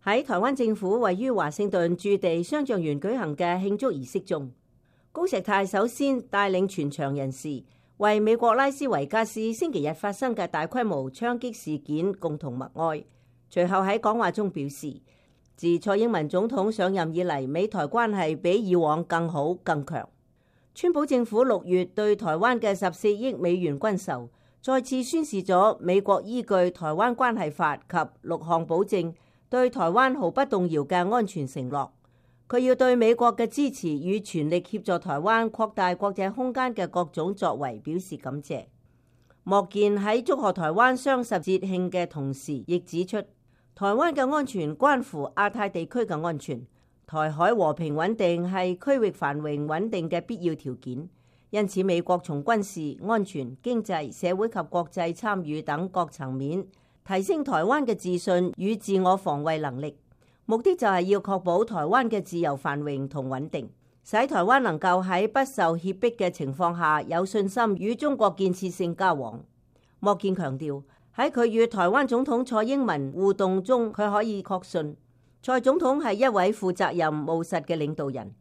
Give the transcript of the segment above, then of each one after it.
喺台灣政府位於華盛頓駐地雙橡園舉行嘅慶祝儀式中，高石泰首先帶領全場人士為美國拉斯維加斯星期日發生嘅大規模槍擊事件共同默哀。隨後喺講話中表示，自蔡英文總統上任以嚟，美台關係比以往更好更強。川普政府6月對台灣嘅14億美元軍售，再次宣示咗美國依據《台灣關係法》及6項保證，對台灣毫不動搖嘅安全承諾。佢要對美國嘅支持與全力協助台灣擴大國際空間嘅各種作為表示感謝。莫健喺祝賀台灣雙十節慶嘅同時，亦指出台灣嘅安全關乎亞太地區嘅安全，台海和平穩定係區域繁榮穩定嘅必要條件。因此，美國從軍事、安全、經濟、社會及國際參與等各層面提升台灣嘅自信與自我防衛能力，目的就係要確保台灣嘅自由繁榮同穩定，使台灣能夠喺不受脅迫嘅情況下有信心與中國建設性交往。莫健強調，喺佢與台灣總統蔡英文互動中，佢可以確信蔡總統係一位負責任務實嘅領導人。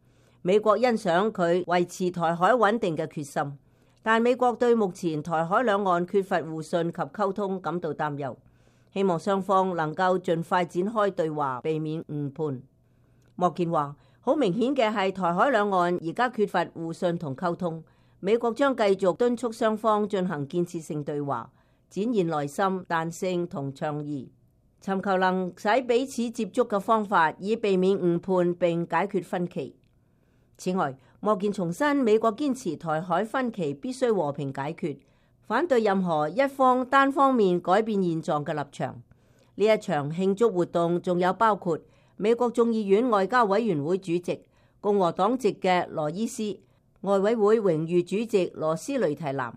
美國欣賞佢維持台海穩定嘅決心，但美國對目前台海兩岸缺乏互信及溝通感到擔憂，希望雙方能夠盡快展開對話，避免誤判。莫健話，好明顯嘅係台海兩岸而家缺乏互信同溝通，美國將繼續敦促雙方進行建設性對話，展現耐心、彈性同倡議，尋求能使彼此接觸嘅方法，以避免誤判並解決分歧。此外，莫健重申美國堅持台海分歧必須和平解決，反對任何一方單方面改變現狀嘅立場。呢一場慶祝活動仲有包括美國眾議院外交委員會主席共和黨籍嘅羅伊斯、外委會榮譽主席羅斯雷提南、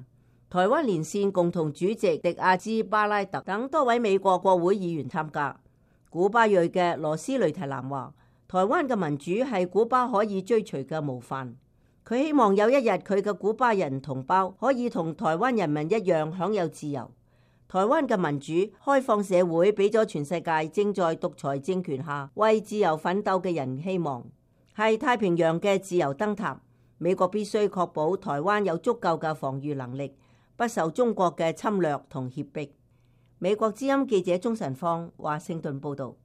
台灣連線共同主席迪亞茲巴拉特等多位美國國會議員參加。古巴裔嘅羅斯雷提南話，台灣嘅民主係古巴可以追隨嘅模範。佢希望有一日佢嘅古巴人同胞可以同台灣人民一樣享有自由。台灣嘅民主開放社會俾咗全世界正在獨裁政權下為自由奮鬥嘅人希望，係太平洋嘅自由燈塔。美國必須確保台灣有足夠嘅防禦能力，不受中國嘅侵略同脅迫。美國之音記者鍾晨芳華盛頓報道。